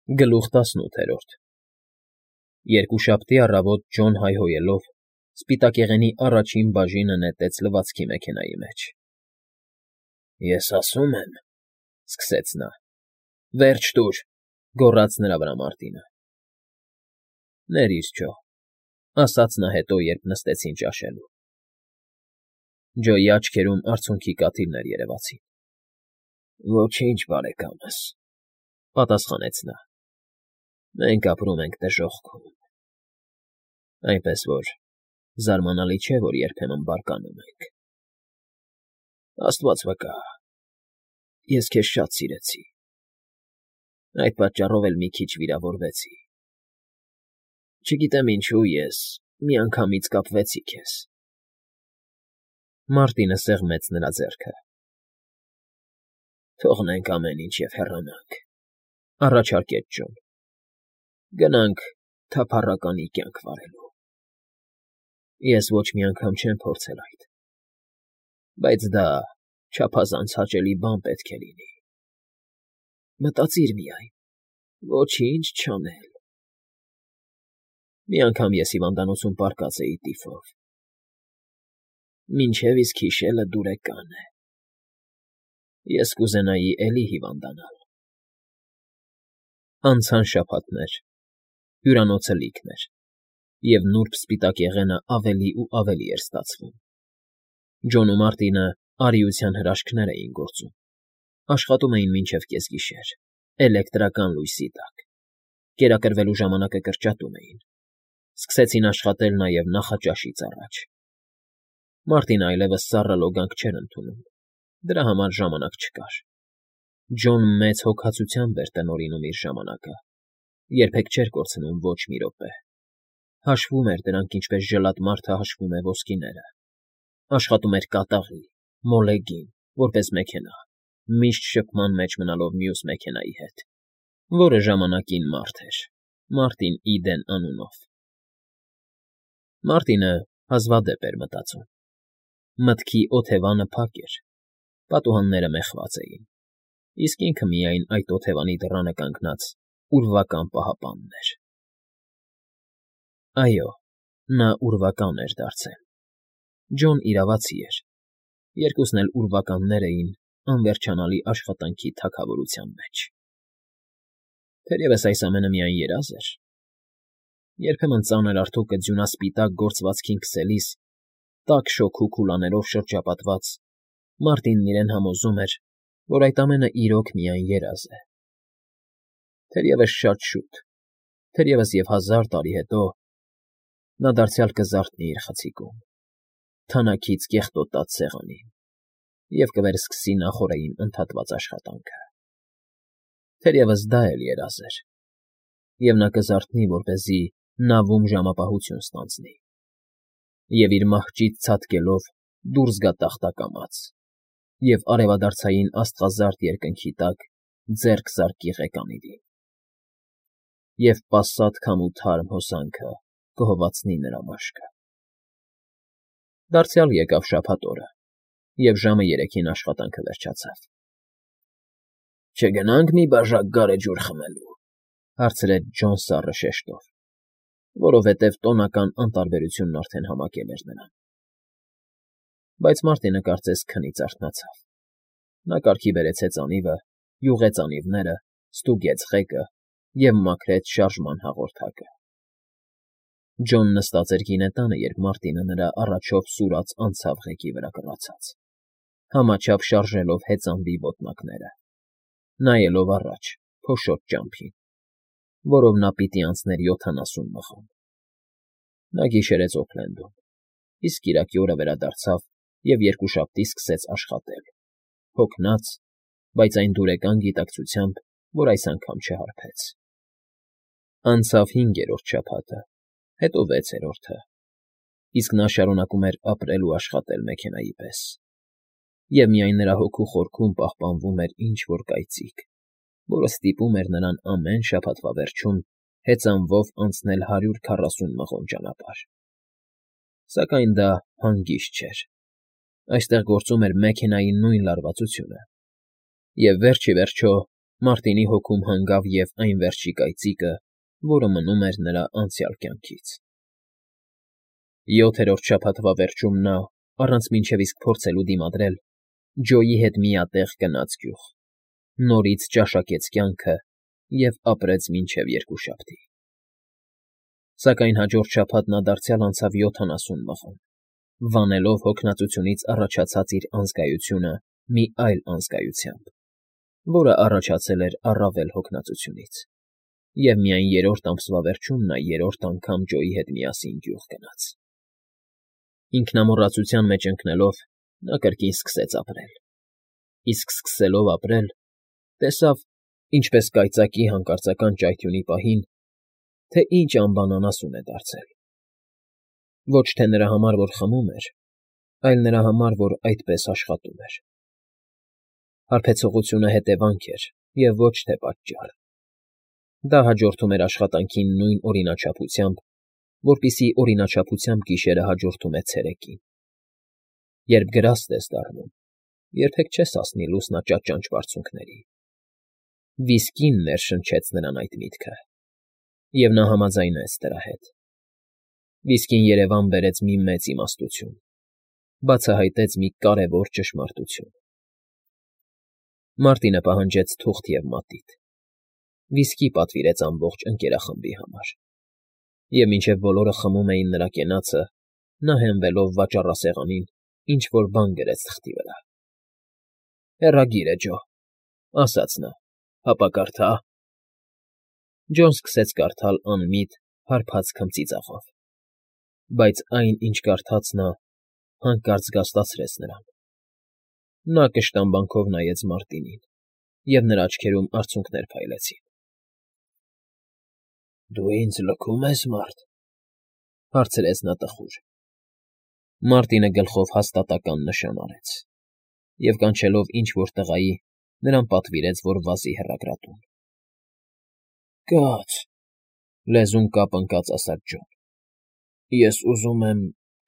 Գլուխ 18 Երկուշաբթի առավոտ Ջոն հայհոյելով սպիտակեղենի առաջին բաժինը նետեց լվացքի մեքենայի մեջ։ ֊ Ես ասում եմ,֊ սկսեց նա։ ֊ Վերջ տուր,֊ գոռաց նրա վրա Մարտինը։ ֊ Ներիր, Ջո,֊ ասաց նա հետո, երբ նստեցին ճաշելու։ Ջոյի աչքերում արցունքի կաթիլներ երևացին։ ֊ Ոչինչ, բարեկամս,֊ պատասխանեց նա։ Մենք ապրում ենք դժոխքում։ Այնպես որ զարմանալի չէ, որ երբեմն բարկանում ենք։ Աստված վկա, ես քեզ շատ սիրեցի, այդ պատճառով էլ մի քիչ վիրավորվեցի։ Չգիտեմ ինչու ես միանգամից կապվեցի քեզ։ Մարտինը սեղմեց նրա ձեռքը։ Թողնենք ամեն ինչ և հեռանանք,֊ առաջարկեց Ջոն։ Գնանք թափառականի կյանք վարելու։ Ես ոչ մի անգամ չեմ փորձել այդ, բայց դա չափազանց հաճելի բան պետք է լինի։ Մտածիր միայն, ոչինչ չանել։ Մի անգամ ես հիվանդանոցում պառկած էի տիֆով։ Մինչև իսկ հիշելը դուրեկան է։ Ես կուզենայի էլի հիվանդանալ։ Անցան շաբաթներ, հյուրանոցը լիքն էր, և նուրբ սպիտակեղենը ավելի ու ավելի էր ստացվում։ Ջոն ու Մարտինը արիության հրաշքներ էին գործում, աշխատում էին մինչև կեսգիշեր, էլեկտրական լույսի տակ, կերակրվելու ժամանակը կրճատում էին, սկսեցին աշխատել նաև նախաճաշից առաջ։ Մարտինը այլևս սառը լոգանք չէր ընդունում, դրա համար ժամանակ չկար։ Ջոն մեծ հոգացությամբ էր տնօրինում իր ժամանակը, երբեք չէր կորցնում ոչ մի րոպե։ Հաշվում էր դրանք, ինչպես ժլատ մարդը հաշվում է ոսկիները։ Աշխատում էր կատաղի, մոլեգին, որպես մեքենա, միշտ շփման մեջ մնալով մյուս մեքենայի հետ, որը ժամանակին մարդ էր, Մարտին Իդեն անունով։ Մարտինը հազվադեպ էր մտածում։ Մտքի օթևանը փակ էր, պատուհանները մեխված էին, իսկ ինքը միայն այդ օթևանի դռանը կանգնած ուրվական պահապանն էր։ Այո, նա ուրվական էր դարձել։ Ջոն իրավացի էր, երկուսն էլ ուրվականներ էին անվերջանալի աշխատանքի թագավորության մեջ։ Թերևս այս ամենը միայն երազ էր։ Երբեմն ծանր արթոկը ձյունասպիտակ գործվածքին քսելիս, տաք շոգու քուլաներով շրջապատված, Մարտինն իրեն համոզում էր, որ այդ ամենը իրոք միայն երազ է։ Թերևս շատ շուտ, թերևս և 1000 տարի հետո նա դարձյալ կզարթնի իր խցիկում, թանաքից կեղտոտած սեղանին և կվերսկսի նախօրեին ընդհատված աշխատանքը։ Թերևս դա էլ երազ էր, և նա կզարթնի, որպեսզի նավում ժամապահություն ստանձնի և իր մահճից ցատկելով դուրս գա տախտակամաց և արևադարձային աստղազարդ երկնքի տակ ձեռք զարկի ղեկանիրին։ Եվ պասատ քամու թարմ հոսանքը կհովացնի նրա մաշկը։ Դարձյալ եկավ շաբաթ օրը, և ժամը 3-ին աշխատանքը վերջացավ։ Չգնա՞նք մի բաժակ գարեջուր խմելու,֊ հարցրեց Ջոն սառը շեշտով, որովհետև տոնական անտարբերությունն արդեն համակել էր նրան։ Բայց Մարտինը կարծես քնից արթնացավ։ Նա կարգի բերեց հեծանիվը, յուղեց անիվները, ստուգեց ղեկը և մաքրեց շարժման հաղորդակը։ Ջոն նստած էր գինետանը, երբ Մարտինը նրա առաջով սուրաց անցավ ղեկի վրա կռացած, համաչափ շարժելով հեծանվի ոտնակները, նայելով առաջ, փոշոտ ճամփին, որով նա պիտի անցներ 70 մղոն։ Նա գիշերեց Օքլենդում, իսկ կիրակի օրը վերադարձավ և երկուշաբթի սկսեց աշխատել, հոգնած, բայց այն դուրեկան գիտակցությամբ, որ այս անգամ չհարբեց։ Անցավ 5-րդ շաբաթը, հետո 6-րդը, իսկ նա շարունակում էր ապրել ու աշխատել մեքենայի պես, և միայն նրա հոգու խորքում պահպանվում էր ինչ֊որ կայծիկ, որը ստիպում էր նրան ամեն շաբաթվա վերջում հեծանվով անցնել 140 մղոն ճանապարհ։ Սակայն դա հանգիստ չէր։ Այստեղ գործում էր մեքենայի նույն լարվածությունը, և վերջ ի վերջո Մարտինի հոգում հանգավ և այն վերջի կայծիկը, որը մնում էր նրա անցյալ կյանքից։ 7-րդ շաբաթվա վերջում նա, առանց մինչև իսկ փորձելու դիմադրել, Ջոյի հետ միատեղ գնաց գյուղ, նորից ճաշակեց կյանքը և ապրեց մինչև երկուշաբթի։ Սակայն հաջորդ շաբաթ նա դարձյալ անցավ 70 մղոն, վանելով հոգնածությունից առաջացած իր անզգայությունը մի այլ անզգայությամբ, որը առաջացել էր առավել հոգնածությունից, և միայն 3-րդ ամսվա վերջում նա 3-րդ անգամ Ջոյի հետ միասին գյուղ գնաց։ Ինքնամոռացության մեջ ընկնելով՝ նա կրկին սկսեց ապրել, իսկ սկսելով ապրել, տեսավ, ինչպես կայծակի հանկարծական ճայթյունի պահին, թե ինչ անբանանասուն է դարձել։ Ոչ թե նրա համար, որ խմում էր, այլ նրա համար, որ այդպես աշխատում էր։ Հարբեցողությունը հետևանք էր և ոչ թե պատճառ։ Դա հաջորդում էր աշխատանքին նույն օրինաչափությամբ, որպիսի օրինաչափությամբ գիշերը հաջորդում է ցերեկին։ Երբ գրաստ ես դառնում, երբեք չես հասնի լուսնաճաճանճ բարձունքների։ Վիսկին ներշնչեց նրան այդ միտքը, և նա համաձայնեց դրա հետ։ Վիսկին երևան բերեց մի մեծ իմաստություն, բացահայտեց մի կարևոր ճշմարտություն։ Մարտինը պահանջեց թուղթ և մատիտ։ Վիսկի պատվիրեց ամբողջ ընկերախմբի համար, և մինչև բոլորը խմում էին նրա կենացը, նա հենվելով վաճառասեղանին ինչ֊որ բան գրեց թղթի վրա։ «Հեռագիր է, Ջո», ասաց նա, «հապա կարդա»։ Ջոն սկսեց կարդալ անմիտ, հարբած քմծիծաղով, բայց այն, ինչ կարդաց նա, հանկարծ զգաստացրեց նրան։ Նա կշտամբանքով նայեց Մարտինին, և նրա աչքերում արցունքներ փայլեցին։ «Դու ինձ լքում ես, Մարտ,֊ հարցրեց նա տխուր։ Մարտինը գլխով հաստատակամ նշան արեց և, կանչելով ինչ֊որ տղայի, նրան պատվիրեց, որ վազի հեռագրատուն։ «Կաց,֊ լեզուն կապ ընկած ասաց Ջոն,֊ ես ուզում եմ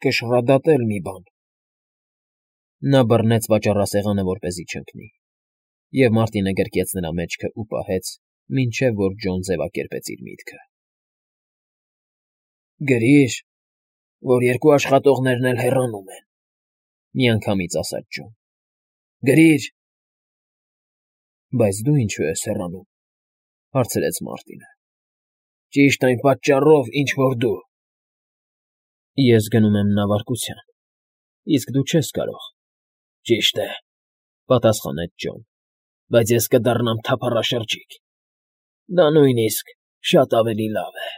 կշռադատել մի բան»։ Նա բռնեց վաճառասեղանը, որպեսզի չընկնի, և Մարտինը գրկեց նրա մեջքն ու պահեց, մինչև որ Ջոն ձևակերպեց իր միտքը։ «Գրիր, որ երկու աշխատողներն էլ հեռանում են,֊ միանգամից ասաց Ջոն,֊ գրիր»։ «Բայց դու ինչո՞ւ ես հեռանում,֊ հարցրեց Մարտինը։ «Ճիշտ այն պատճառով, ինչ որ դու»։ «Ես գնում եմ նավարկության, իսկ դու չես կարող»։ «Ճիշտ է,֊ պատասխանեց Ջոն,֊ բայց ես կդառնամ թափառաշրջիկ։ Դա նույնիսկ շատ ավելի լավ է»։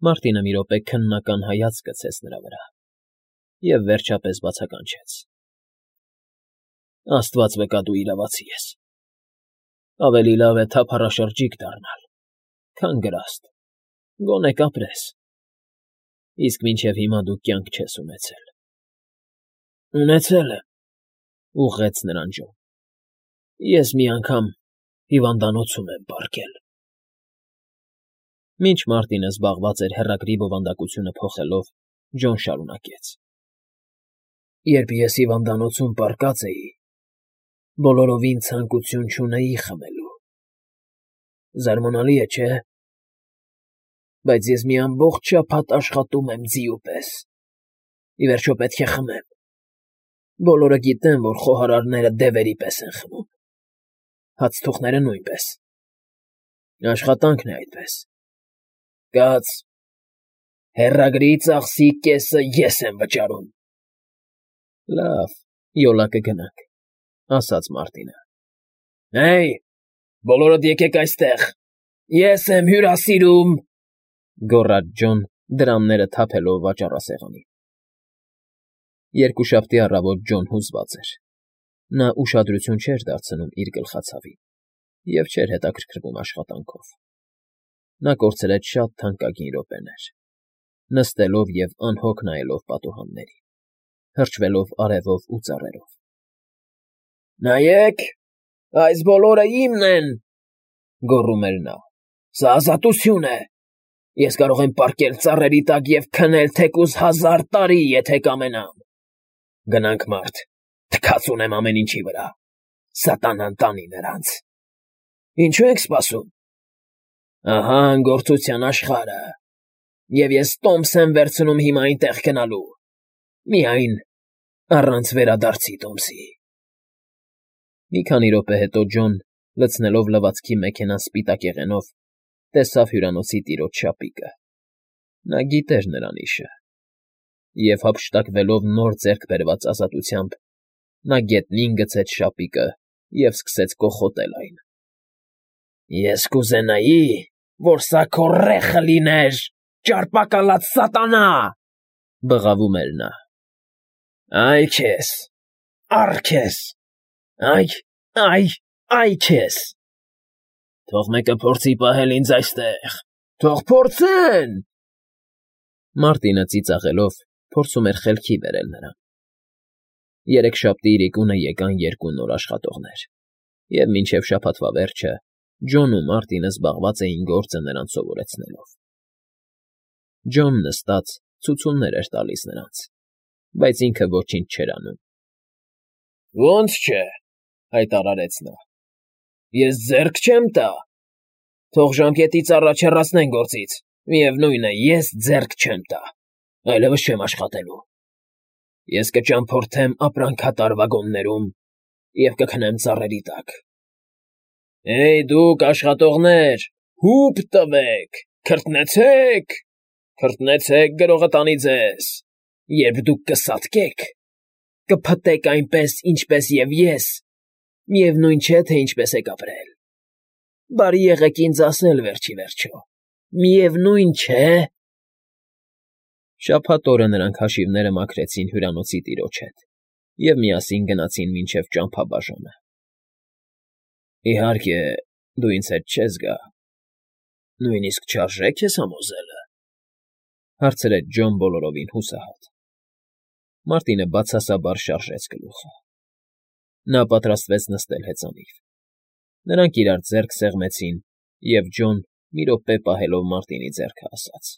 Մարտինը մի րոպե քննական հայացք գցեց նրա վրա և վերջապես բացականչեց. «Աստված վկա, դու իրավացի ես։ Ավելի լավ է թափառաշրջիկ դառնալ, քան գրաստ, գոնե կապրես, իսկ մինչև հիմա դու կյանք չես ունեցել»։ «Ունեցել եմ,֊ ուղղեց նրան Ջոն,֊ ես մի անգամ հիվանդանոցում եմ պառկել»։ Մինչ Մարտինը զբաղված էր հեռագրի բովանդակությունը փոխելով, Ջոն շարունակեց. «Երբ ես հիվանդանոցում պառկած էի, բոլորովին ցանկություն չունեի խմելու։ Զարմանալի է, չէ՞։ Բայց ես մի ամբողջ շաբաթ աշխատում եմ ձիու պես, ի վերջո պետք է խմեմ։ Բոլորը գիտեն, որ խոհարարները դևերի պես են խմում, հացթուխները նույնպես։ Աշխատանքն է այդպես։ Կաց, հեռագրի ծախսի կեսը ես եմ վճարում»։ «Լավ, յոլա կգնանք,֊ ասաց Մարտինը։ «Հեյ, բոլորդ եկեք այստեղ, ես եմ հյուրասիրում,֊ գոռաց Ջոն, դրամները թափելով վաճառասեղանին։ Երկուշաբթի առավոտ Ջոն հուզված էր։ Նա ուշադրություն չէր դարձնում իր գլխացավին և չէր հետաքրքրվում աշխատանքով։ Նա կորցրեց շատ թանկագին րոպեներ, նստելով և անհոգ նայելով պատուհաններին, թրջվելով արևով ու ծառերով։ «Նայեք, այս բոլորը իմն են,֊ գոռում էր նա,֊ սա ազատություն է։ Ես կարող եմ պառկել ծառերի տակ և քնել թեկուզ 1000 տարի, եթե կամենամ։ Գնանք, Մարտ, թքած ունեմ ամեն ինչի վրա։ Սատանան տանի նրանց։ Ինչու ենք սպասում։ Ահա անգործության աշխարհը, և ես տոմս եմ վերցնում հիմա այնտեղ գնալու, միայն առանց վերադարձի տոմսի։ Մի քանի րոպե հետո Ջոն, լցնելով լվացքի մեքենան սպիտակ եղենով, տեսավ հյուրանոցի տիրոջ շապիկը։ Նա գիտեր նրան իշը, և հափշտակվելով նոր ձեռք բերված ազատությամբ, նա գետնին գցեց շապիկը և սկսեց կոխոտել այն։ Ես կուզենայի, որ սա քո ռեխը լիներ, ճարպակալած սատանա, բղավում էր նա։ Այ քեզ, առ քեզ, այ քեզ։ Թող մեկը փորձի պահել ինձ այստեղ, թող փորձեն։ Մարտինը ծիծաղելով փորձում էր խելքի բերել նրան։ Երեքշաբթի իրիկունը եկան երկու նոր աշխատողներ, և մինչև շաբաթվա վերջը Ջոնն ու Մարտինը զբաղված էին գործը նրանց սովորեցնելով։ Ջոնն նստած ցուցումներ էր տալիս նրանց, բայց ինքը ոչինչ չէր անում։ Ոնց չէ, հայտարարեց նա։ Ես ձեռք չեմ տա։ Թող ժամկետից առաջ հեռացնեն գործից, միևնույն է, ես ձեռք չեմ տա, այլևս չեմ աշխատելու։ Ես կճամփորդեմ ապրանքատար վագոններում և կքնեմ ծառերի տակ։ Էյ, դուք աշխատողներ, հո՛ւպ տվեք, քրտնեցեք, գրողը տանի ձեզ, երբ դուք կսատկեք, կփտեք այնպես, ինչպես և ես, միևնույն չէ, թե ինչպես եք ապրել։ Բարի եղեք ինձ ասել վերջ ի վերջո, միևնույն չէ։ Շաբաթ օրը նրանք հաշիվները մաքրեցին հյուրանոցի տիրոջ հետ և միասին գնացին մինչև ճամփաբաժանը։ Իհարկե, դու ինձ հետ չես գա, նույնիսկ չարժե քեզ համոզելը, հարցրեց Ջոն բոլորովին հուսահատ։ Մարտինը բացասաբար շարժեց գլուխը։ Նա պատրաստվեց նստել հեծանիվ։ Նրանք իրար ձեռք սեղմեցին, և Ջոն, մի րոպե պահելով Մարտինի ձեռքը, ասաց.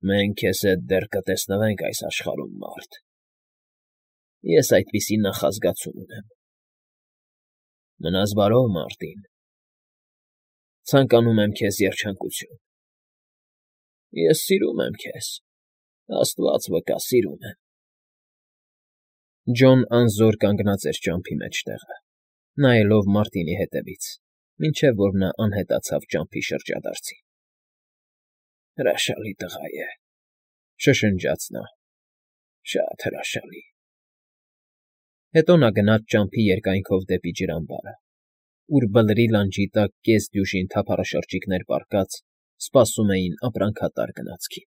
Մենք քեզ հետ դեռ կտեսնվենք այս աշխարհում, մարդ։ Ես այդպիսի նախազգացում ունեմ։ Մնաս բարով, Մարտին։ Ցանկանում եմ քեզ երջանկություն։ Ես սիրում եմ քեզ, աստված վկա, սիրում եմ։ Ջոն անզոր կանգնած էր ճամփի մեջտեղը, նայելով Մարտինի հետևից, մինչև որ նա անհետացավ ճամփի շրջադարձին։ Հրաշալի տղա է, շշնջաց նա, շատ հրաշալի։ Հետո նա գնաց ճամփի երկայնքով դեպի ջրամբարը, ուր բլրի լանջի տակ կես դյուժին թափառաշրջիկներ պառկած սպասում էին ապրանքատար գնացքին։